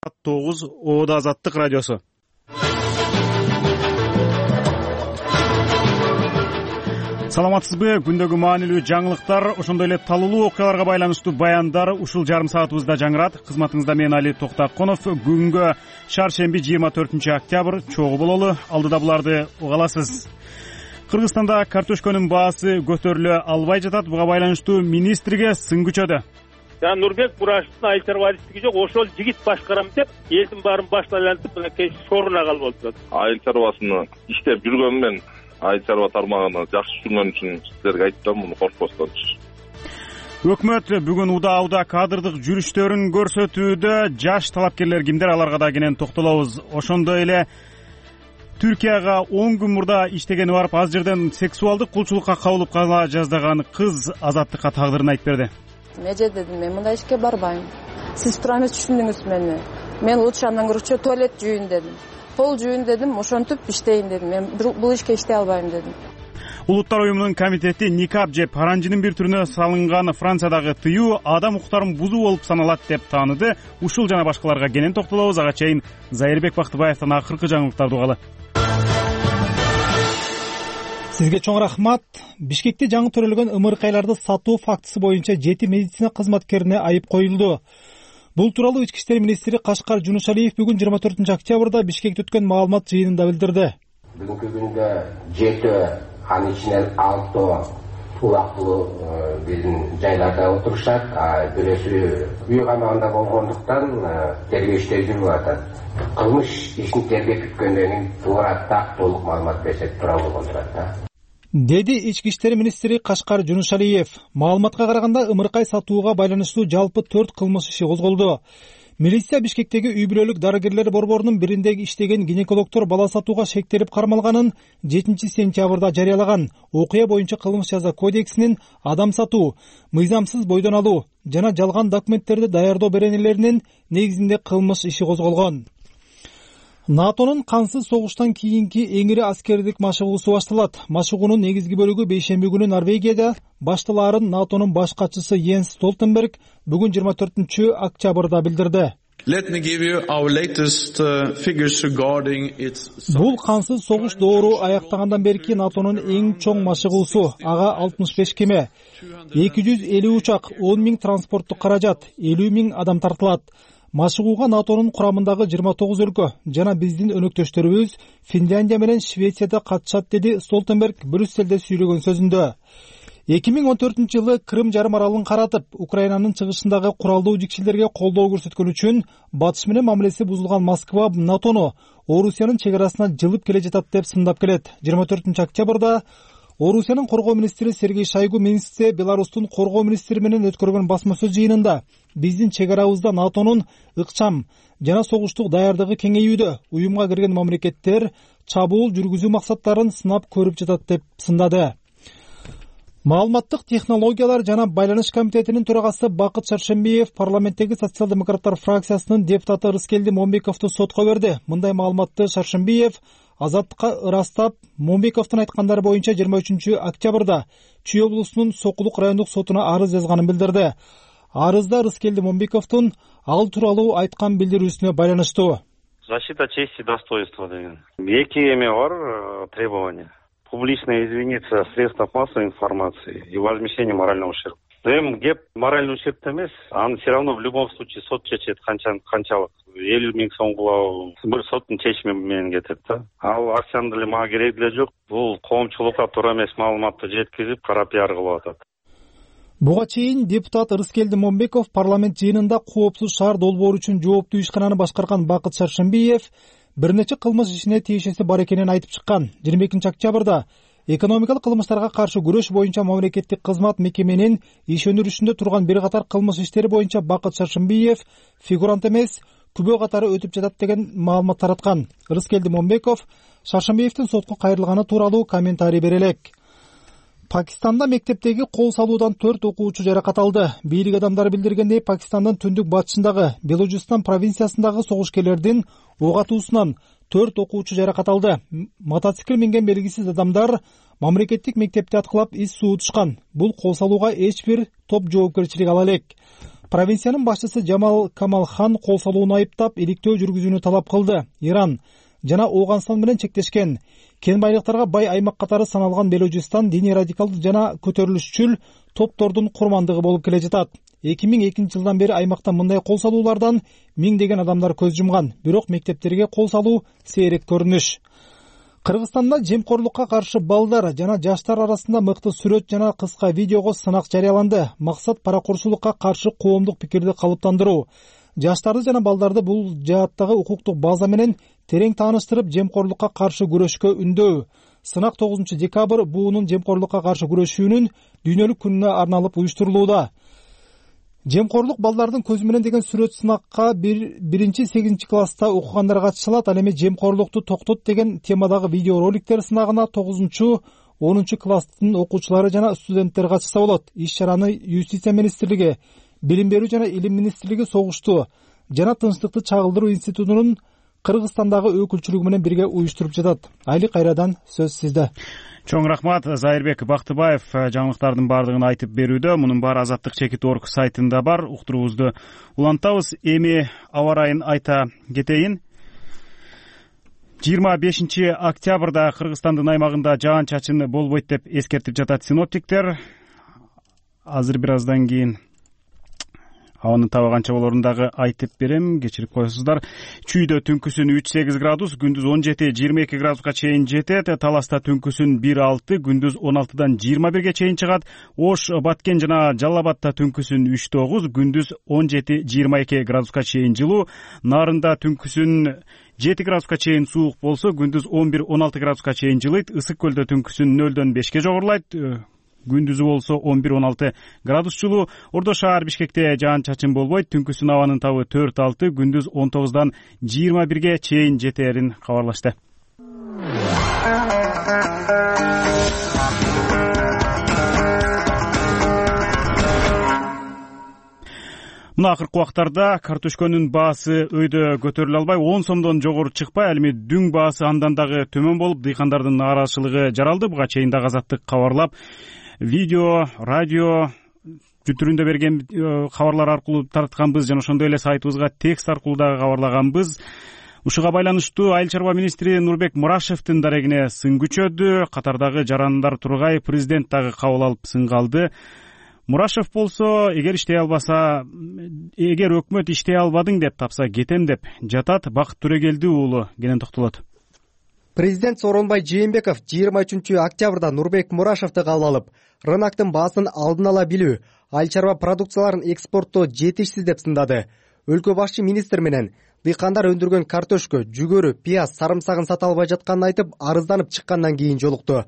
9 Оода Азаттык радиосу. Саламатсызбы? Күндөгү маанилүү жаңылыктар, ошондой эле талуулуу окуяларга байланыштуу баяндар ушул жарым саатыбызда жаңырат. Кызматыңызда мен Али Токтаконов. Күнгө шаршемби 24 октябрь чогуу бололу. Алдыда буларды угаласыз. Кыргызстанда картошконун баасы көтөрүлө албай жатат. Буга байланыштуу министрге сын күчөдү. Нурбек Бурашевдин айыл чарбачылыгы жок, ошол жигит башкарам деп элдин баарын башына айлантып, мынакей сооруна калып отурат. Айыл чарбасыны иштеп жүргөн мен айыл чарба тармагына жакшы жүргөн үчүн силерге айттым, муну коркпостончу. Өкмөт бүгүн удаа кадрдык жүрүштөрүн көрсөтүүдө. Жаш талапкерлер кимдер, аларга да кенен токтолобуз. Ошондой эле Түркияга 10 күн мурда иштегени барып, аз жерден сексуалдык кулчулукка кабылып кала жаздаган кыз Азаттыкка тагдырын айтып берди. Эже дедим, мен мындай ишке барбайм. Сиз туура эмес түшүндүңүз мени. Мен лучше андан көрчү туалет жууйн дедим. Пол жууйн дедим, ошентип иштейин дедим. Мен бул ишке иштей албайм дедим. Улуттар уюмунун комитети никап же паранжынын бир түрүнө салынган Франциядагы тыюу адам укуктарын бузуу болуп саналат деп тааныды. Ушул жана башкаларга кенен токтолобуз. Ага чейин Зайырбек Бактыбаевдин акыркы жаңылыктарды угалы. Сизге чоң рахмат. Бишкекте жаңы төрөлгөн ымыркайларды сатуу фактысы боюнча 7 медицина кызматкерине айып коюлду. Бул тууралуу Ички иштер министри Кашкар Жунушалиев бүгүн 24 октябрда Бишкекте өткөн маалымат жыйынында билдирди. Бүгүнкү күндө 7, анын ичинен 6 улактуу биздин жайларда отурушат, бирөөсү үй камагында болгондуктан тергөө иштери жүрүп атат. Кылмыш ишин тергеп бүткөндөн кийин туура толук маалымат берсек туура болгон турат да, деди Ички иштер министри Кашкар Жунушалиев. Маалыматка караганда ымыркай сатууга байланыштуу жалпы 4 кылмыш иши козголду. Милиция Бишкектеги үй бүлөлүк дарыгерлер борборунун биринде иштеген гинекологдор бала сатууга шектелип кармалганын 7 сентябрда жарыялаган. Окуя боюнча кылмыш жаза кодексинин адам сатуу, мыйзамсыз бойдон алуу жана жалган документтерди даярдоо беренелеринин негизинде кылмыш иши козголгон. НАТОнун кансыз согуштан кийинки эң ири аскердик машыгуусу башталат. Машыгуунун негизги бөлүгү бейшемби күнү Норвегияда башталаарын НАТОнун баш катчысы Йенс Столтенберг бүгүн 24 октябрда билдирди. Бул кансыз согуш доору аяктагандан берки НАТОнун эң чоң машыгуусу. Ага 65 кеме, 250 учак, 10 000 транспорттук каражат, 50 000 адам тартылат. Машыгууга НАТОнун курамындагы 29 өлкө жана биздин өнөктөштөрүбүз Финляндия менен Швецияда катышат, деди Столтенберг Брюсселде сүйлөгөн сөзүндө. 2014 жылы Крым жарым аралын каратып, Украинанын чыгышындагы куралдуу жикшилерге колдоо көрсөткөн үчүн батыш менен мамилеси бузулган Москва НАТОну Орусиянын чек арасына жылып келе жатат деп сындап келет. 24 октябрда Орусиянын коргоо министри Сергей Шойгу Минскте Беларустун коргоо министри менен өткөргөн басма сөз жыйынында биздин чек арабызда НАТОнун ыкчам жана согуштук даярдыгы кеңейүүдө, уюмга кирген мамлекеттер чабуул жүргүзүү максаттарын сынап көрүп жатат деп сындады. Маалыматтык технологиялар жана байланыш комитетинин төрагасы Бакыт Шаршембиев парламенттеги социал-демократтар фракциясынын депутаты Рыскелди Момбековду сотко берди. Мындай маалыматты Шаршембиев Азаттыкка ырастап, Момбековдун айткандары боюнча 23 октябрда Чүй облусунун Сокулук райондук сотуна арыз жазганын билдирди. Арызда Рыскелди Момбековдун ал тууралуу айткан билдирүүсүнө байланыштуу. Защита чести и достоинства деген. Эки эме бар требования. Публично извиниться в средствах массовой информации и возмещение морального ущерба. Эми кеп моральный ущерб эмес, аны все равно в любом случае сот чечет, канчалык 50 000 сомго бир соттун чечими менен кетет да. Ал акчаны деле мага кереги деле жок. Бул коомчулукка туура эмес маалыматты жеткизип, кара пиар кылып атат. Буга чейин депутат Рыскелди Момбеков парламент жыйынында коопсуз шаар долбоору үчүн жооптуу ишкананы башкарган Бакыт Шаршембиев бир нече кылмыш ишине тиешеси бар экенин айтып чыккан. 22 октябрда экономикалык кылмыштарга каршы күрөш боюнча мамлекеттик кызмат мекеменин иш өнүрүшүндө турган бир катар кылмыш иштери боюнча Бакыт Шаршембиев фигурант эмес, күбө катары өтүп жатат деген маалымат тараткан. Рыскелди Момбеков Шаршембиевдин сотко кайрылганы тууралуу комментарий бере элек. Пакистанда мектептеги кол салуудан 4 окуучу жаракат алды. Бийлик адамдары билдиргендей, Пакистандын түндүк батышындагы Белужистан провинциясындагы согушкерлердин ок атуусунан 4 окуучу жаракат алды. Мотоцикл минген белгисиз адамдар мамлекеттик мектепти аткылап ис суутушкан. Бул кол салууга эч бир топ жоопкерчилик ала элек. Провинциянын башчысы Жамал Камалхан кол салууну айыптап, иликтөө жүргүзүүнү талап кылды. Иран жана Ооганстан менен чектешкен кен байлыктарга бай аймак катары саналган Белужистан диний радикалдуу жана көтөрүлүшчүл топтордун курмандыгы болуп келе жатат. 2002 жылдан бери аймакта мындай кол салуулардан миңдеген адамдар көз жумган. Бирок мектептерге кол салуу сейрек көрүнүш. Кыргызстанда жемкорлукка каршы балдар жана жаштар арасында мыкты сүрөт жана кыска видеого сынак жарыяланды. Максат паракурсулукка каршы коомдук пикирди калыптандыруу. Жаштарды жана балдарды бул жааттагы укуктук база менен терең тааныштырып, жемкорлукка каршы күрөшкө үндөө. Сынак 9 декабрь буунун жемкорлукка каршы күрөшүүнүн дүйнөлүк күнүнө арналып уюштурулууда. Жемкорлук балдардын көзү менен деген сүрөт сынакка 1-8 класста окугандар катыша алат. Ал эми жемкорлукту токтот деген темадагы видео роликтер сынагына 9-10 класстын окуучулары жана студенттер катышса болот. Иш-чараны Юстиция министрлиги, Билим берүү жана Илим министрлиги, Согушту жана Тынчтыкты чагылдыруу институтунун Кыргызстандагы өкүлчүлүгү менен бирге уюштуруп жатат. Айли кайрадан сөз сизде. Чоң рахмат. Зайырбек Бактыбаев жаңылыктардын баардыгын айтып берүүдө. Мунун баары Азаттык.org сайтында бар. Уктуруубузду улантабыз. Эми аба ырайын айта кетейин. 25 октябрда Кыргызстандын аймагында жаан-чачын болбойт деп эскертип жатат синоптиктер. Азыр бир аздан кийин абанын таба канча болорун дагы айтып берем, кечирип коесуздар. Чүйдө түнкүсүн 3-8 градус, күндүз 17-22 градуска чейин жетет. Таласта түнкүсүн 1-6, күндүз 16дан 21ге чейин чыгат. Ош, Баткен жана Жалал Абадта түнкүсүн 3-9, күндүз 17-22 градуска чейин жылуу. Нарында түнкүсүн 7 градуска чейин суук болсо, күндүз 11-16 градуска чейин жылыйт. Ысык көлдө түнкүсүн 0-дан 5ке жогорулайт. Күндүзү болсо 11-16 градус жылуу. Ордо шаар Бишкекте жаан-чачын болбойт. Түнкүсүн абанын табы 4-6, күндүз 19дан 21ге чейин жетээрин кабарлашты. Мына акыркы убактарда картошконун баасы өйдө көтөрүлө албай, 10 сомдон жогору чыкпай, ал эми дүң баасы андан дагы төмөн болуп, дыйкандардын нааразычылыгы жаралды. Буга чейин дагы Азаттык кабарлап, видео, радио бүтүрүндө берген кабарлар аркылуу тартканбыз, жана ошондой эле сайтыбызга текст аркылуу дагы кабарлаганбыз. Ушуга байланыштуу Айыл чарба министри Нурбек Мурашевдин дарегине сын күчөдү. Катардагы жарандар тургай, президент дагы кабыл алып сынга алды. Мурашев болсо, эгер өкмөт иштей албадың деп тапса кетем деп жатат. Бакыт Төрөгелди уулу кенен токтолот. Президент Сооронбай Жээнбеков 23 октябрда Нурбек Мурашевди кабыл алып, рыноктун баасын алдын ала билүү, айыл чарба продукцияларын экспорттоо жетишсиз деп сындады. Өлкө башчы министр менен дыйкандар өндүргөн картошка, жүгөрү, пияз, сарымсагын сата албай жатканын айтып, арызданып чыккандан кийин жолукту.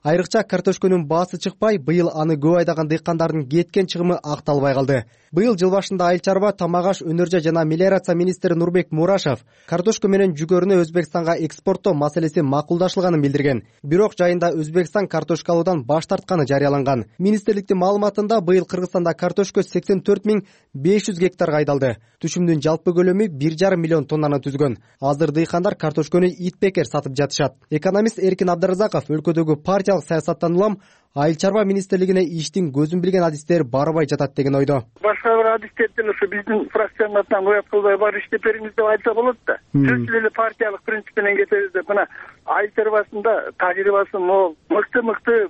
Айрыкча картошконун баасы чыкпай, быйыл аны көп айдаган дыйкандардын кеткен чыгымы акталбай калды. Быйыл жыл башында айыл чарба, тамак аш, өнөр жай жана мелиорация министри Нурбек Мурашев картошка менен жүгөрүнү Өзбекстанга экспорттоо маселеси макулдашылганын билдирген. Бирок жайында Өзбекстан картошка алуудан баш тартканы жарыяланган. Министрликтин маалыматында быйыл Кыргызстанда картошка 84.500 гектарга айдалды. Түшүмдүн жалпы көлөмү 1,5 миллион тоннаны түзгөн. Азыр дыйкандар картошканы итбекер сатып жатышат. Экономист Эркин Абдыразаков өлкөдөгү партиялык саясаттан улам айыл чарба министрлигине иштин көзүн билген адистер барбай жатат деген ойдо. Башка бир адистерден ушу биздин фракциянын атынан уят кылбай бар иштеп бериңиз деп айтса болот да. Сөзсүз эле партиялык принцип менен кетебиз деп. Мына айыл чарбасында тажрыйбасы мол, мыкты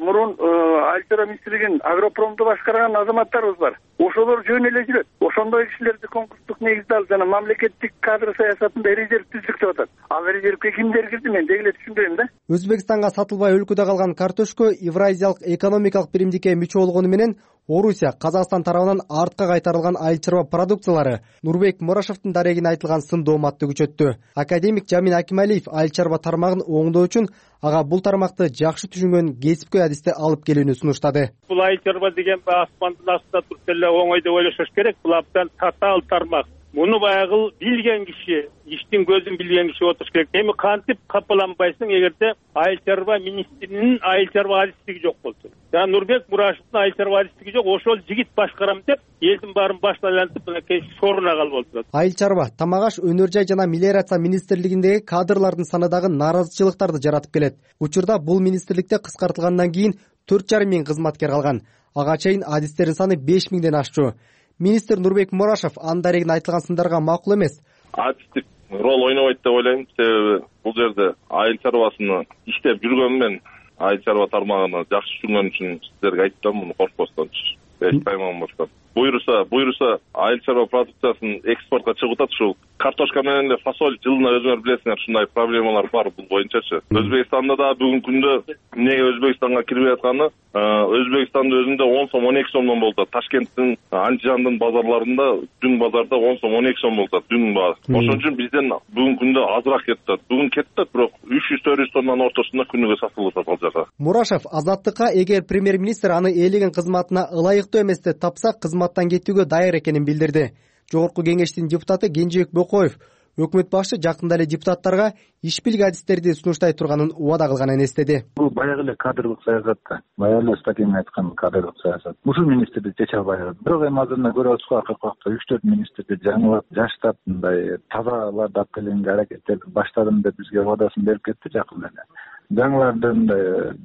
мурун айыл чарба министрлигин агропромду башкарган азаматтарыбыз бар. Ошолор жөн эле жүрөт. Ошондой кишилерди конкурстук негизде алып жана мамлекеттик кадр саясатында резерв түздүк деп атат. Ал резервге кимдер кирди, мен деги эле түшүнбөйм да. Өзбекстанга сатылбай өлкөдө калган картошка Евразиялык экономикалык биримдикке мүчө болгону менен Орусия, Казакстан тарабынан артка кайтарылган айыл чарба продукциялары Нурбек Мурашевдин дарегине айтылган сын дооматты күчөттү. Академик Жамин Акималиев айыл чарба тармагын оңдоо үчүн ага бул тармакты жакшы түшүнгөн кесипкөй адисти алып келүүнү сунуштады. Бул айыл чарба деген асмандын астында туруп эле оңой деп ойлошош керек. Бул абдан татаал тармак. Муну баягы билген киши, иштин көзүн билген киши отуруш керек. Эми кантип капаланбайсың эгерде айыл чарба министринин айыл чарба адистиги жок болсо. Жана Нурбек Мурашевдин айыл чарба адистиги жок, ошол жигит башкарам деп элдин баарын башына айлантып мынакей сооруна калып отурат. Айыл чарба, тамак аш, өнөр жай жана мелиорация министрлигиндеги кадрлардын саны дагы нааразычылыктарды жаратып келет. Учурда бул министрликте кыскартылгандан кийин 4,5 миң кызматкер калган. Ага чейин адистердин саны 5 миңден ашчу. Министр Нурбек Мурашев анын дарегин айтылган сындарга макул эмес. Адистик рол ойнобойт деп ойлойм. Себеби бул жерде айыл чарбасыны иштеп жүргөнүм мен айыл чарба тармагына жакшы түшүнгөн үчүн сиздерге айттым, муну коркпостончу. Эч тайманбастан. Буйруса айыл чарба продукциясын экспортко чыгып атат. Ушул картошка менен эле фасоль жылына өзүңөр билесиңер, ушундай проблемалар бар бул боюнчачы. Өзбекстанда да бүгүнкү күндө эмнеге Өзбекстанга кирип атканы, Өзбекстандын өзүндө 10 сом 12 сомдон болот. Ташкенттин, Андижандын базарларында дүң базарда 10 сом 12 сом болот дүң баа. Ошон үчүн бизден бүгүнкү күндө азыраак кетет. Бүгүн кетет, бирок 300-400 тоннанын ортосунда күнүгө сатылып атат ал жака. Мурашев Азаттыкка эгер премьер-министр аны ээлеген кызматына ылайыктуу эмес деп тапса, кызматтан кетүүгө даяр экенин билдирди. Жогорку кеңештин депутаты Кенжебек Бокоев өкмөт башчы жакында эле депутаттарга ишбилик адистерди сунуштай турганын убада кылганын эстеди. Бул баягы эле кадрлык саясат да. Баягы эле статьяны айткан кадрлык саясат. Ушул министрди чече албай калат. Бирок эми азырына көрүп атышпайбы, акыркы убакта 3-4 министрди жаңылап, жаштап, мындай тазаларды алып келгенге аракеттерди баштадым деп бизге убадасын берип кетти жакында эле. Жаңыларды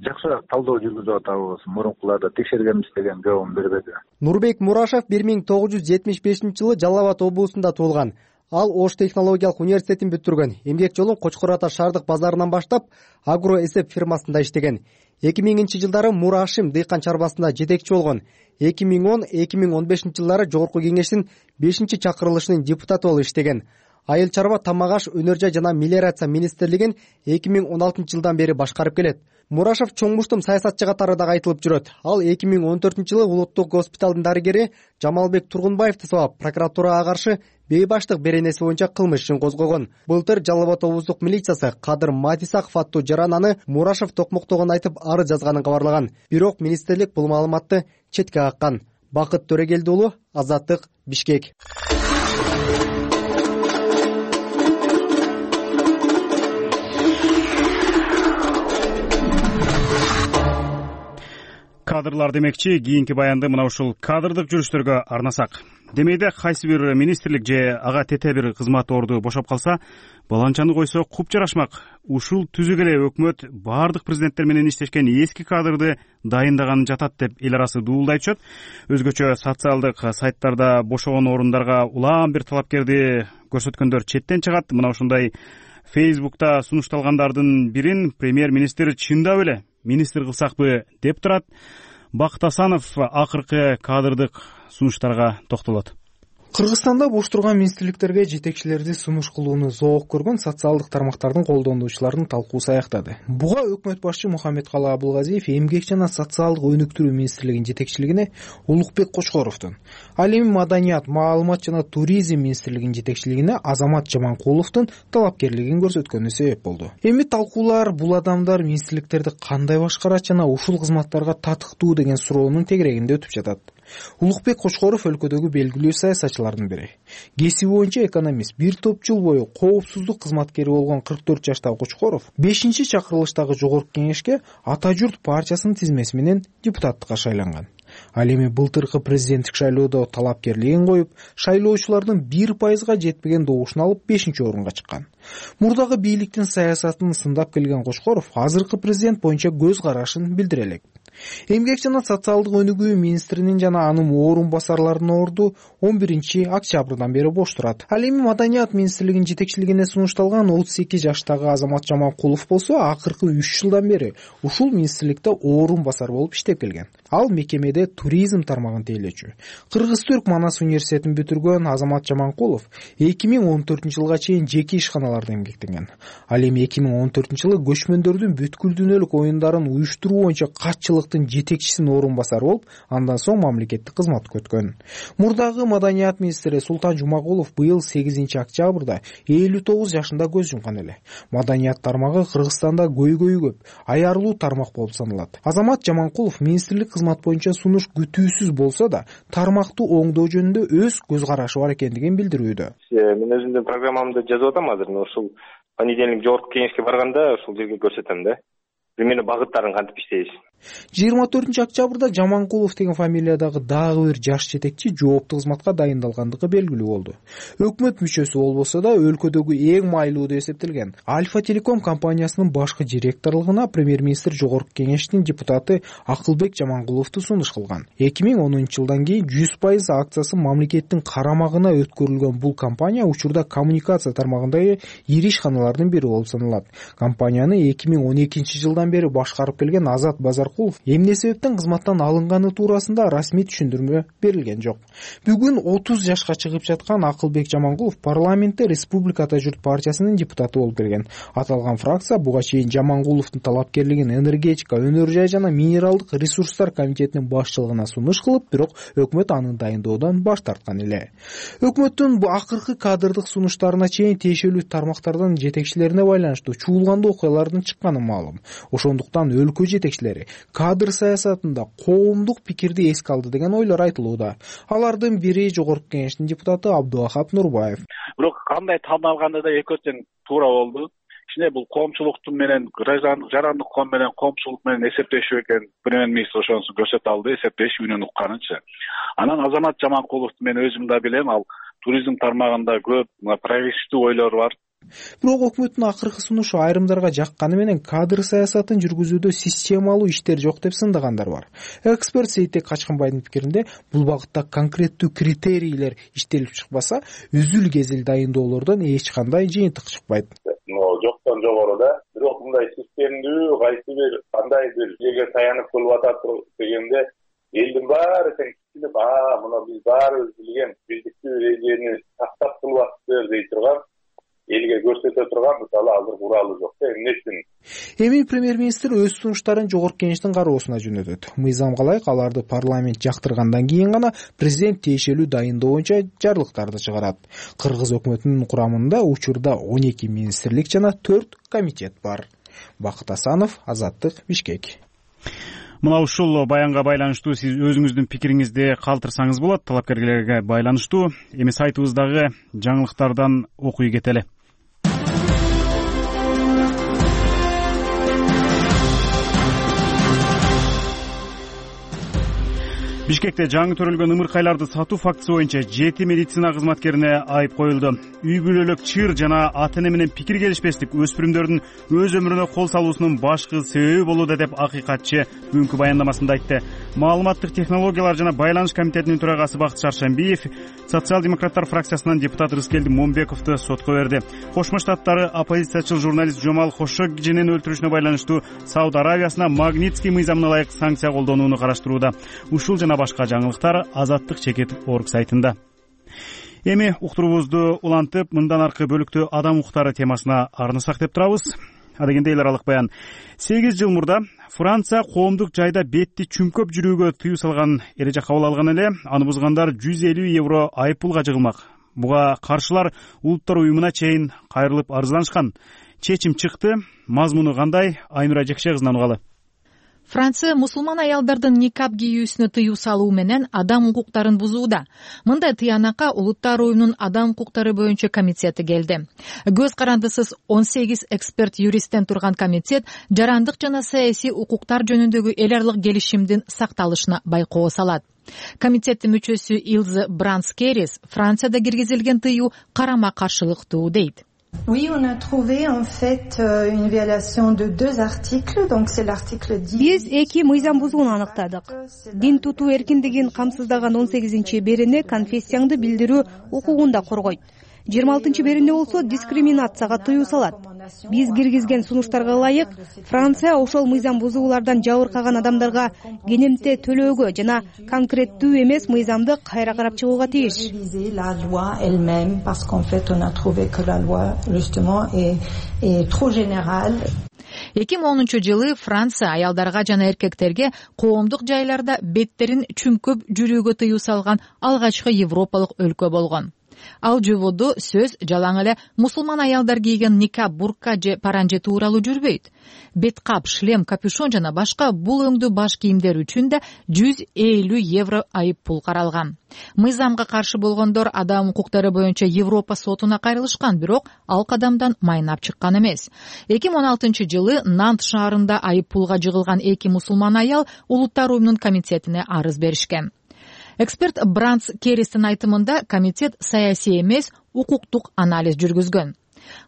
жакшыраак талдоо жүргүзүп атабыз, мурункуларды текшергенбиз деген жообун бербеди. Нурбек Мурашев 1975-жылы Жалал Абад облусунда туулган. Ал Ош технологиялык университетин бүтүргөн. Эмгек жолун Кочкор Ата шаардык базарынан баштап, агроэсеп фирмасында иштеген. 2000-жылдары Мурашим дыйкан чарбасында жетекчи болгон. 2010-2015 жылдары Жогорку кеңештин 5-чакырылышынын депутаты болуп иштеген. Айыл чарба, тамак аш, өнөр жай жана мелиорация министрлигин 2016-жылдан бери башкарып келет. Мурашев чоң муштум саясатчы катары дагы айтылып жүрөт. Ал 2014-жылы улуттук госпиталдын дарыгери Жамалбек Тургунбаевди сабап, прокуратурага каршы бейбаштык беренеси боюнча кылмыш ишин козгогон. Былтыр Жалал Абад облустук милициясы Кадыр Матисаков аттуу жарананы Мурашев токмоктогон айтып арыз жазганын кабарлаган. Бирок министрлик бул маалыматты четке каккан. Бакыт Төрегелди уулу, Азаттык, Бишкек. Кадрлар демекчи, кийинки баянды мына ушул кадрдык жүрүштөргө арнасак. Демейде кайсы бир министрлик же ага тете бир кызмат орду бошоп калса, баланчаны койсо куп жарашмак. Ушул түзүк эле өкмөт баардык президенттер менен иштешкен эски кадрды дайындаганы жатат деп эл арасы дуулдай түшөт. Өзгөчө социалдык сайттарда бошогон орундарга улам бир талапкерди көрсөткөндөр четтен чыгат. Мына ушундай Facebook'та сунушталгандардын бирин премьер-министр чындап эле министр кылсакпы деп турат. Бакыт Асанов акыркы кадрдык сунуштарга токтолот. Кыргызстанда бош турган министрликтерге жетекчилерди сунуш кылууну зоок көргөн социалдык тармактардын колдонуучуларынын талкуусу аяктады. Буга өкмөт башчы Мухаммедкалы Абылгазиев эмгек жана социалдык өнүктүрүү министрлигинин жетекчилигине Улукбек Кочкоровдун, ал эми маданият, маалымат жана туризм министрлигинин жетекчилигине Азамат Жаманкуловдун талапкерлигин көрсөткөнү себеп болду. Эми талкуулар бул адамдар министрликтерди кандай башкарат жана ушул кызматтарга татыктуу деген суроонун тегерегинде өтүп жатат. Улукбек Кочкоров өлкөдөгү белгилүү саясатчылардын бири. Кесиби боюнча экономист, бир топ жыл бою коопсуздук кызматкери болгон 44 жаштагы Кочкоров 5-чакырылыштагы жогорку кеңешке Ата журт партиясынын тизмеси менен депутаттыкка шайланган. Ал эми былтыркы президенттик шайлоодо талапкерлигин коюп, шайлоочулардын 1%га жетпеген добушун алып 5-орунга чыккан. Мурдагы бийликтин саясатын сындап келген Кочкоров азыркы президент боюнча көз карашын билдире элек. Эмгек жана социалдык өнүгүү министринин жана анын орун басарларынын орду 11-октябрдан бери бош турат. Ал эми маданият министрлигинин жетекчилигине сунушталган 38 жаштагы Азамат Жаманкулов болсо, акыркы 3 жылдан бери ушул министрликте орун басар болуп иштеп келген. Ал мекемеде туризм тармагын тейлөөчү. Кыргыз-Түрк Манас университетин бүтүргөн Азамат Жаманкулов 2014-жылга чейин жеке ишканаларда эмгектенген. Ал эми 2014-жылы көчмөндөрдүн бүткүл дүйнөлүк оюндарын уюштуруу боюнча катчылыктын жетекчисинин орун басары болуп, андан соң мамлекеттик кызматка өткөн. Мурдагы маданият министри Султан Жумагулов быйыл 8-октябрда 59 жашында көз жумкан эле. Маданият тармагы Кыргызстанда көйгөйү көп, аярлуу тармак болуп саналат. Азамат Жаманкулов министрлик кызмат боюнча сунуш күтүүсүз болсо да, тармакты оңдоо жөнүндө өз көз карашы бар экендигин билдирүүдө. Мен өзүмдүн программамды жазып атам азыр. Ушул понедельник жогорку кеңешке барганда ушул жерге көрсөтөм да. Примерно багыттарын кантип иштейбиз. 24-октябрда Жаманкулов деген фамилиядагы дагы бир жаш жетекчи жооптуу кызматка дайындалгандыгы белгилүү болду. Өкмөт мүчөсү болбосо да өлкөдөгү эң майлуу деп эсептелген Альфа Телеком компаниясынын башкы директорлугуна премьер-министр жогорку кеңештин депутаты Акылбек Жаманкуловду сунуш кылган. 2010-жылдан кийин 100% акциясы мамлекеттин карамагына өткөрүлгөн бул компания учурда коммуникация тармагындагы ири ишканалардын бири болуп саналат. Компанияны 2012-жылдан бери башкарып келген Азат Базаркулов эмне себептен кызматтан алынганы туурасында расмий түшүндүрмө берилген жок. Бүгүн 30 жашка чыгып жаткан Акылбек Жаманкулов парламентте Республика Ата журт партиясынын депутаты болуп келген. Аталган фракция буга чейин Жаманкуловдун талапкерлигин энергетика, өнөр жай жана минералдык ресурстар комитетинин башчылыгына сунуш кылып, бирок өкмөт аны дайындоодон баш тарткан эле. Өкмөттүн бу акыркы кадрдык сунуштарына чейин тиешелүү тармактардын жетекчилерине байланыштуу чуулгандуу окуялардын чыкканы маалым. Ошондуктан өлкө жетекчилери кадр саясатында коомдук пикирди эске алды деген ойлор айтылууда. Алардын бири жогорку кеңештин депутаты Абдувахап Нурбаев. Бирок кандай танылганда да эки тең туура болду. Кичине бул коомчулуктун менен жарандык коом менен коомчулук менен эсептешүү экен. Премьер-министр ошонусу көрсөтө алды, эсептешүү үнүн укканынча. Анан Азамат Жаманкуловду мен өзүм да билем, ал туризм тармагында көп прогрессивдүү ойлору бар. Бирок өкмөттүн акыркы сунушу айрымдарга жакканы менен кадр саясатын жүргүзүүдө системалуу иштер жок деп сындагандар бар. Эксперт Сейтек Качканбайдын пикиринде бул багытта конкреттүү критерийлер иштелип чыкпаса, үзүл-кезил дайындоолордон эч кандай жыйынтык чыкпайт. Жоктон жогоруда, бирок мындай системдүү кайсы бир кандай бир жерге таянып кылып атат дегенде элдин баары тең кичилип, мына биз баарыбыз билген биздиктүү эрежени сактап кылып атыптыр дей турган, элге көрсөтө турган мисалы азыр куралы жок. Эмне үчүн? Эми премьер-министр өз сунуштарын жогорку кеңештин кароосуна жөнөтөт. Мыйзамга ылайык аларды парламент жактыргандан кийин гана президент тиешелүү дайындоо боюнча жарлыктарды чыгарат. Кыргыз өкмөтүнүн курамында учурда 12 министрлик жана 4 комитет бар. Бакыт Асанов, Азаттык, Бишкек. Мына ушул баянга байланыштуу сиз өзүңүздүн пикириңизди калтырсаңыз болот. Талапкерлерге байланыштуу эми сайтыбыздагы жаңылыктардан окуй кетели. Бишкекте жаңы төрөлгөн ымыркайларды сатуу фактысы боюнча 7 медицина кызматкерине айып коюлду. Үй бүлөлүк чыр жана ата-эне менен пикир келишпестик өспүрүмдөрдүн өз өмүрүнө кол салуусунун башкы себеби болууда деп акыйкатчы бүгүнкү баяндамасында айтты. Маалыматтык технологиялар жана байланыш комитетинин төрагасы Бакыт Шаршембиев социал-демократтар фракциясынан депутат Рыскелди Момбековду сотко берди. Кошмо Штаттары оппозициячыл журналист Жомал Хошогжинин өлтүрүшүнө байланыштуу Сауд Аравиясына Магнитский мыйзамына ылайык санкция колдонууну караштырууда. Ушул жана башка жаңылыктар Азаттык чекит орг сайтында. Эми уктуруубузду улантып, мындан аркы бөлүктө адам укуктары темасына арнасак деп турабыз. Адегенде эл аралык баян. 8 жыл мурда Франция коомдук жайда бетти чүмкөп жүрүүгө тыюу салган эреже кабыл алган эле. Аны бузгандар 150 евро айыппулга жыгылмак. Буга каршылар улуттар уюмуна чейин кайрылып арызданышкан. Чечим чыкты. Мазмуну кандай? Айнура Жекше кызынан угалы. Франция мусулман аялдардын никап кийүүсүнө тыюу салуу менен адам укуктарын бузууда. Мындай тыянакка Улуттар уюмунун адам укуктары боюнча комитети келди. Көз карандысыз 18 эксперт юристтен турган комитет жарандык жана саясий укуктар жөнүндөгү эл аралык келишимдин сакталышына байкоо салат. Комитеттин мүчөсү Илзе Бранскерис Францияда киргизилген тыюу карама каршылыктуу дейт. Oui, on a trouvé en fait une violation de 2 articles, donc c'est l'article 10. Биз эки мыйзам бузууну аныктадык. Дин тутуу эркиндигин камсыздаган 18-берене конфессияңды билдирүү укугун да коргойт. 26-берене болсо дискриминацияга тыюу салат. Биз киргизген сунуштарга ылайык Франция ошол мыйзам бузуулардан жабыркаган адамдарга кенемте төлөөгө жана конкреттүү эмес мыйзамды кайра карап чыгууга тийиш. La loi elle-même parce qu'en fait on a trouvé que la loi justement est trop générale. 2010-жылы Франция аялдарга жана эркектерге коомдук жайларда беттерин чүмкөп жүрүүгө тыюу салган алгачкы европалык өлкө болгон. Ал жободо сөз жалаң эле мусулман аялдар кийген никаб, бурка же паранжи тууралуу жүрбөйт. Бет кап, шлем, капюшон жана башка бул өңдүү баш кийимдер үчүн да 150 евро айып пул каралган. Мыйзамга каршы болгондор адам укуктары боюнча Европа сотуна кайрылышкан, бирок ал кадамдан майнап чыккан эмес. 2016-жылы Нант шаарында айып пулга жыгылган 2 мусулман аял Улуттар уюмунун комитетине арыз беришкен. Эксперт Бранс Керристин айтымында комитет саясий эмес, укуктук анализ жүргүзгөн.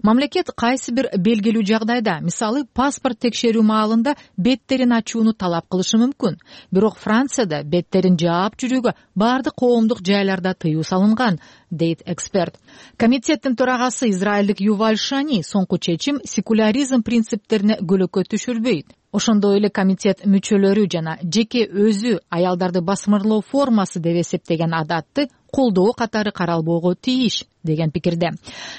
Мамлекет кайсы бир белгилүү жагдайда, мисалы паспорт текшерүү маалында беттерин ачууну талап кылышы мүмкүн. Бирок Францияда беттерин жаап жүрүүгө бардык коомдук жайларда тыюу салынган, дейт эксперт. Комитеттин төрагасы израилдик Юваль Шани соңку чечим секуляризм принциптерине көлөкө түшүрбөйт. Ошондой эле комитет мүчөлөрү жана жеке өзү аялдарды басмырлоо формасы деп эсептеген адатты колдоо катары каралбоого тийиш деген пикирде.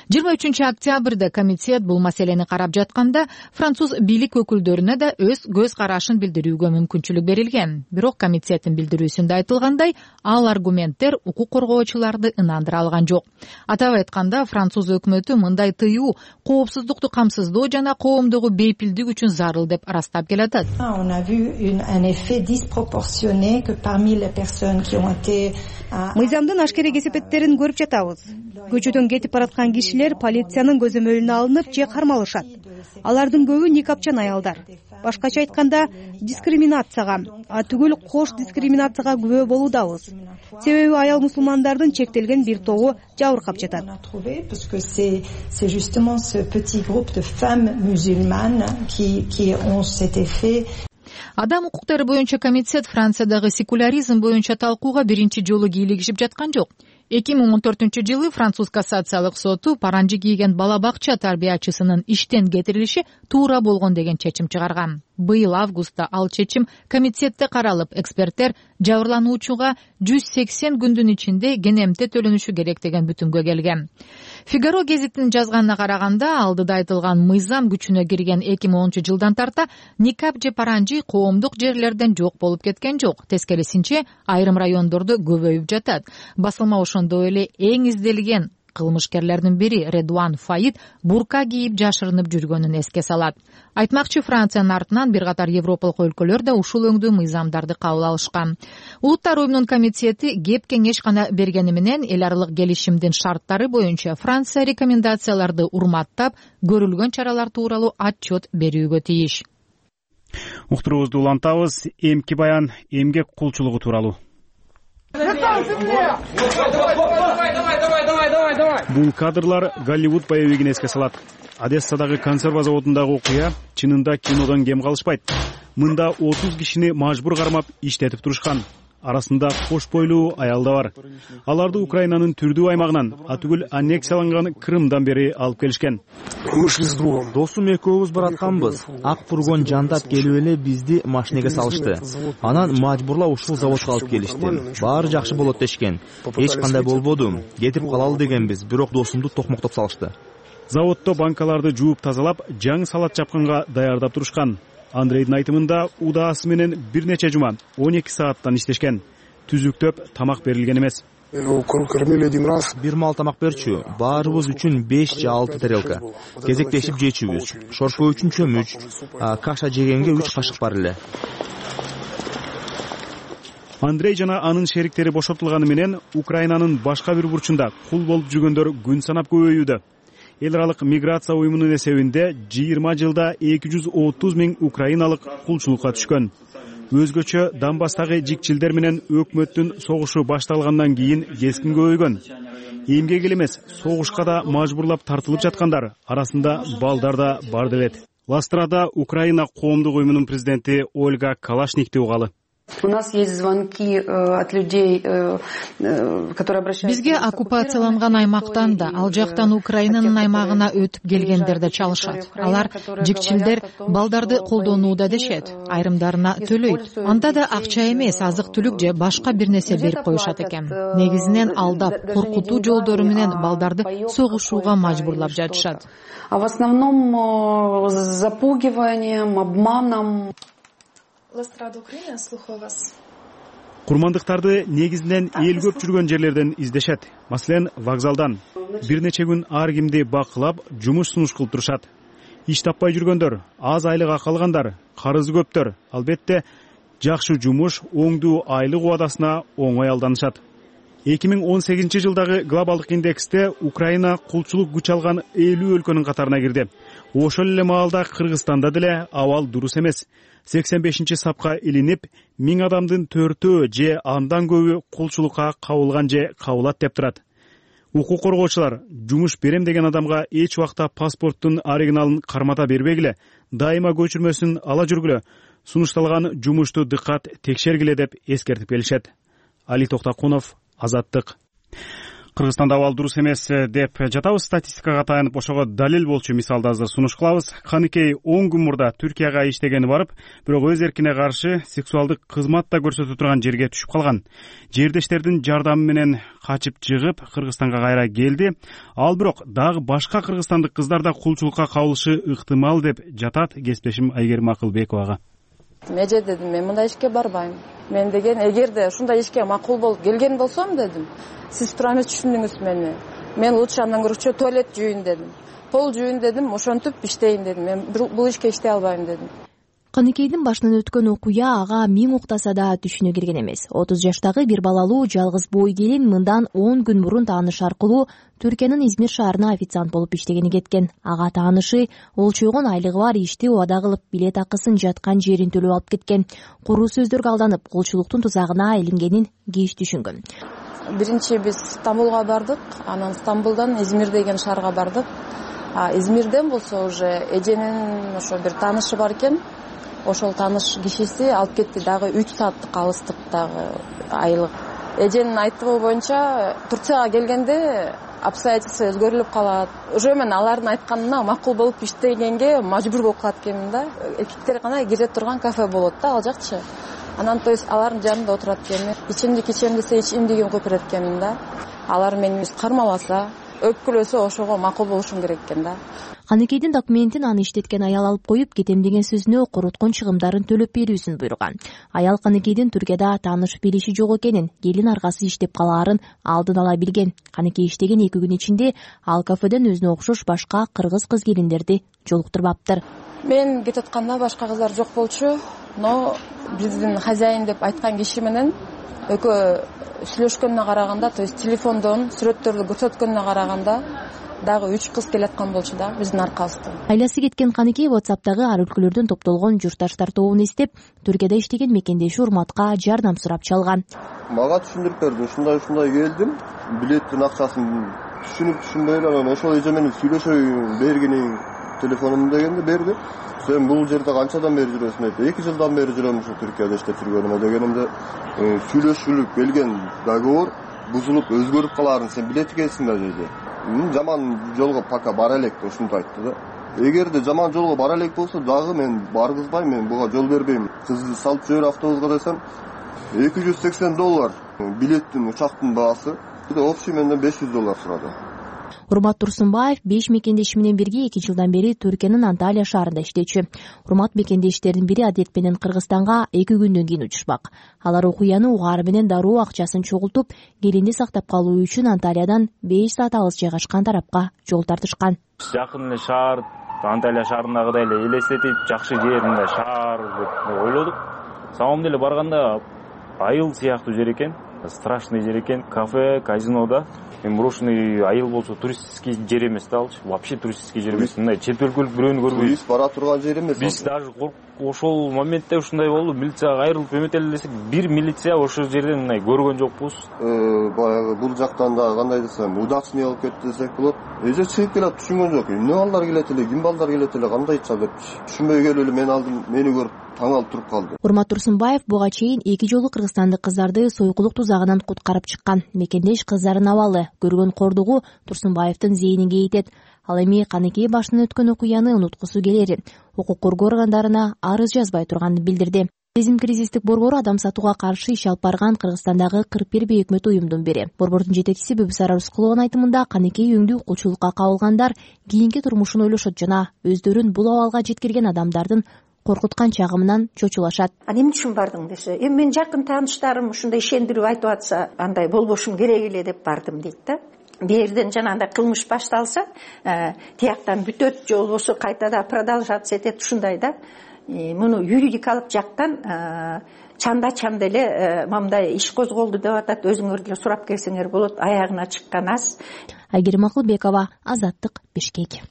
23-октябрда комитет бул маселени карап жатканда француз бийлик өкүлдөрүнө да өз көз карашын билдирүүгө мүмкүнчүлүк берилген. Бирок комитеттин билдирүүсүндө айтылгандай, ал аргументтер укук коргоочуларды ынандыра алган жок. Атап айтканда, француз өкмөтү мындай тыюу коопсуздукту камсыздоо жана коомдогу бейпилдик үчүн зарыл деп арастап келатат. On a vu un effet disproportionné que parmi les personnes qui ont été Мыйзамдын ашкере кесепеттерин көрүп жатабыз. Көчөдөн кетип бараткан кишилер полициянын көзөмөлүнө алынып же кармалышат. Алардын көбү никапчан аялдар. Башкача айтканда, дискриминацияга, түгүл кош дискриминацияга күбө болуудабыз. Себеби аял мусулмандардын чектелген бир тобу жабыркап жатат. Parce que c'est justement ce petit groupe de femmes musulmanes qui ont cet effet. Адам укуктары боюнча комитет Франциядагы секуляризм боюнча талкууга биринчи жолу кийлигишип жаткан жок. 2014-жылы француз кассациялык соту паранжи кийген бала бакча тарбиячысынын иштен кетирилиши туура болгон деген чечим чыгарган. Быйыл августта ал чечим комитетте каралып, эксперттер жабырлануучуга 180 күндүн ичинде кенемте төлөнүшү керек деген бүтүмгө келген. Фигаро гезитинин жазганына караганда, алдыда айтылган мыйзам күчүнө кирген 2010-жылдан тарта никап же паранжи коомдук жерлерден жок болуп кеткен жок. Тескерисинче, айрым райондордо көбөйүп жатат. Басылма ошондой эле эң изделген кылмышкерлердин бири Редуан Фаид бурка кийип жашырынып жүргөнүн эске салат. Айтмакчы, Франциянын артынан бир катар европалык өлкөлөр да ушул өңдүү мыйзамдарды кабыл алышкан. Улуттар уюмунун комитети кеп кеңеш гана бергени менен эл аралык келишимдин шарттары боюнча Франция рекомендацияларды урматтап, көрүлгөн чаралар тууралуу отчет берүүгө тийиш. Уктуруубузду улантабыз. Эмки баян эмгек кулчулугу тууралуу. Бул кадрлар Голливуд боевигин эске салат. Одессадагы консерва заводундагы окуя чынында кинодон кем калышпайт. Мында 30 кишини мажбур кармап иштетип турушкан. Арасында кош бойлуу аял да бар. Аларды Украинанын түрдүү аймагынан, атүгүл аннексияланган Крымдан бери алып келишкен. Досум экөөбүз баратканбыз. Ак фургон жандап келип эле бизди машинеге салышты. Анан мажбурлап ушул заводко алып келишти. Баары жакшы болот дешкен. Эч кандай болбоду. Кетип калалы дегенбиз, бирок досумду токмоктоп салышты. Заводдо банкаларды жууп тазалап, жаңы салат чапканга даярдап турушкан. Андрейдин айтымында удаасы менен бир нече жума 12 сааттан иштешкен. Түзүктөп тамак берилген эмес. Бир маал тамак берчү. Баарыбыз үчүн 5 же 6 тарелка. Кезектешип жечүбүз. Шорпо үчүн чөмүч, каша жегенге 3 кашык бар эле. Андрей жана анын шериктери бошотулганы менен Украинанын башка бир бурчунда кул болуп жүргөндөр күн санап көбөйүүдө. Эл аралык миграция уюмунун эсебинде 20 жылда 230 000 украиналык кулчулукка түшкөн. Өзгөчө Донбасстагы жикчилдер менен өкмөттүн согушу башталгандан кийин кескин көбөйгөн. Эмгек эле эмес, согушка да мажбурлап тартылып жаткандар арасында балдар да бар делет. Ластрада Украина коомдук уюмунун президенти Ольга Калашникти угалы. У нас есть звонки от людей, которые обращаются. Бизге оккупацияланган аймактан да, ал жактан Украинанын аймагына өтүп келгендер да чалышат. Алар жикчилдер балдарды колдонууда дешет, айрымдарына төлөйт. Анда да акча эмес, азык-түлүк же башка бир нерсе берип коюшат экен. Негизинен алдап, коркутуу жолдору менен балдарды согушууга мажбурлап жатышат. А в основном запугиванием, обманом. Ластрада Украина, слухаю вас. Курмандыктарды негизинен эл көп жүргөн жерлерден издешет. Маселен, вокзалдан. Бир нече күн ар кимди бакылап, жумуш сунуш кылып турушат. Иш таппай жүргөндөр, аз айлык акы алгандар, карызы көптөр, албетте жакшы жумуш, оңдуу айлык убадасына оңой алданышат. 2018 жылдагы глобалдык индексте Украина кулчулук күч алган 50 өлкөнүн катарына кирди. Ошол эле маалда Кыргызстанда деле абал дурус эмес. 85 сапка илинип, 1000 адамдын 4-өө же андан көбү кулчулукка кабылган же кабылат деп турат. Укук коргоочулар жумуш берем деген адамга эч убакта паспорттун оригиналын кармата бербегиле, дайыма көчүрмөсүн ала жүргүлө, сунушталган жумушту дыккат текшергиле деп эскертип келишет. Али Токтакунов, Азаттык. Кыргызстанда абал дурус эмес деп жатабыз. Статистикага таянып ошого далил болчу мисалды азыр сунуш кылабыз. Каныкей 10 күн мурда Түркияга иштегени барып, бирок өз эркине каршы сексуалдык кызмат да көрсөтө турган жерге түшүп калган. Жердештердин жардамы менен качып чыгып Кыргызстанга кайра келди. Ал бирок дагы башка кыргызстандык кыздар да кулчулукка кабылышы ыктымал деп жатат кесиптешим Айгерим Акылбековага. Меже дедим, мен мындай ишке барбайм. Мен деген эгерде ушундай ишке макул болуп келген болсом дедим, сиз туура эмес түшүндүңүз мени. Мен лучше андан көрчү туалет жууйн дедим. Пол жууйн дедим, ошентип иштейин дедим. Мен бул ишке иштей албайм дедим. Каныкейдин башынан өткөн окуя ага 1000 уктаса да түшүнө кирген эмес. 30 жаштагы бир балалуу жалгыз бой келин мындан 10 күн мурун тааныш аркылуу Түркиянын Измир шаарына официант болуп иштегени кеткен. Ага таанышы олчойгон айлыгы бар ишти убада кылып, билет акысын жаткан жерин төлөп алып кеткен. Куруу сөздөргө алданып, кулчулуктун тузагына илингенин кеч түшүнгөн. Биринчи биз Стамбулга бардык, анан Стамбулдан Измир деген шаарга бардык. Измирден болсо уже эженин ошо бир таанышы бар экен. Ошол тааныш кишиси алып кетти, дагы 3 сааттык алыстыктагы айлык. Эженин айтымы боюнча Турцияга келгенде обстоятельства өзгөрүлүп калат. Уже мен алардын айтканына макул болуп иштегенге мажбур болуп калат экенмин да. Эркектер гана кире турган кафе болот да, ал жакчы. Анан то есть алардын жанында отурат экенмин. Ичимдик ичем десе ичимдигин куюп берет экенмин да. Алар мени кармаласа, өпкүлөсө ошого макул болушум керек экен да. Каныкейдин документин аны иштеткен аял алып коюп, кетем деген сөзүнө куруткон чыгымдарын төлөп берүүсүн буйруган. Аял Каныкейдин Түркияда тааныш билиши жок экенин, келин аргасы иштеп калаарын алдын ала билген. Каныкей иштеген 2 күн ичинде ал кафеден өзүнө окшош башка кыргыз кыз келиндерди жолуктурбаптыр. Мен кетип атканда башка кыздар жок болчу, но биздин хозяин деп айткан киши менен экөө сүйлөшкөнүнө караганда, то есть телефондон сүрөттөрдү көрсөткөнүнө караганда дагы 3 кыз келаткан болчу да биздин аркабызда. Айласы кеткен Каныкей WhatsApp'тагы ар өлкөлөрдөн топтолгон журтташтар тобун эстеп, Түркияда иштеген мекендеши Урматка жардам сурап чалган. Мага түшүндүрүп берди, ушундай келдим, билеттин акчасын түшүнбөй эле, ошол эже менен сүйлөшөйүн бергени телефонумду дегенде берди. Сен бул жерде канчадан бери жүрөсүң деп, 2 жылдан бери жүрөм ушу Түркияда иштеп жүргөнүмө дегенимде, сүйлөшүлүп келген договор бузулуп өзгөрүп калаарын сен билет экенсиң да деди. Жаман жолго пока бара элек деп ушинтип айтты да. Эгерде жаман жолго бара элек болсо дагы мен баргызбайм, мен буга жол бербейм. Кызды салып жибер автобуска десем, $280 билеттин, учактын баасы. Общий менден $500 сурады. Урмат Турсунбаев 5 мекендеши менен бирге 2 жылдан бери Түркиянын Анталия шаарында иштечү. Урмат мекендештердин бири адет менен Кыргызстанга 2 күндөн кийин учушпак. Алар окуяны угаары менен дароо акчасын чогултуп, келинди сактап калуу үчүн Анталиядан 5 саат алыс жайгашкан тарапка жол тартышкан. Жакын эле шаар, Анталия шаарындагыдай эле элестетип, жакшы жер, мындай шаар деп ойлодук. Самом деле барганда айыл сыяктуу жер экен, страшный жер экен, кафе, казинода. Мен брошенный айыл болсо туристский жер эмес да, алчы. Вообще туристский жер эмес. Мындай чет өлкөлүк бирөөнү көрбөйбүз. Турист бара турган жер эмес. Биз даже ошол моментте ушундай болду. Милицияга кайрылып эметели десек, бир милиция ошол жерден мындай көргөн жокпуз. Баягы бул жактан да кандай десем, удачный болуп кетти десек болот. Эже чыгып келип түшүнгөн жок. Эмне балдар келет эле, ким балдар келет эле, кандайча деп түшүнбөй келип эле мен алдым, мени көрүп таң алып туруп калды. Урмат Турсунбаев буга чейин 2 жолу кыргызстандык кыздарды сойкулук тузагынан куткарып чыккан. Мекендеш кыздардын абалы, көргөн кордугу Турсунбаевдин зээнин кейитет. Ал эми Каныкей башынан өткөн окуяны унуткусу келерин, укук коргоо органдарына арыз жазбай турганын билдирди. Сезим кризистик борбору адам сатууга каршы иш алып барган Кыргызстандагы 41 бейөкмөт уюмдун бири. Борбордун жетекчиси Бүбүсара Рыскулованын айтымында, Каныкей өңдүү укулчулукка кабылгандар кийинки турмушун ойлошот жана өздөрүн бул абалга жеткирген адамдардын коркуткан чагымынан чочулашат. Эмне үчүн бардың десе, мен жакын тааныштарым ушундай ишендирип айтып атса, андай болбошум керек эле деп бардым дейт да. Берден жанагындай кылмыш башталса, тияктан бүтөт же болбосо кайтада продолжаться этет, ушундай да. Муну юридикалык жактан чанда эле мындай иш козголду деп атат. Өзүңөр деле сурап келсеңер болот. Аягына чыккан аз. Айгерим Акылбекова, Азаттык, Бишкек.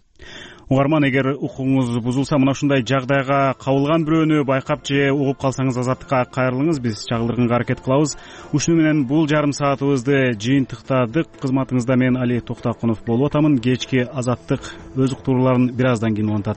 Угарман, эгер укугуңуз бузулса, мына ушундай жагдайга кабылган бирөөнү байкап же угуп калсаңыз, Азаттыкка кайрылыңыз, биз чагылдырганга аракет кылабыз. Ушуну менен бул жарым саатыбызды жыйынтыктадык. Кызматыңызда мен Али Токтоконов болуп атамын. Кечки Азаттык өз уктурууларын бир аздан кийин улантат.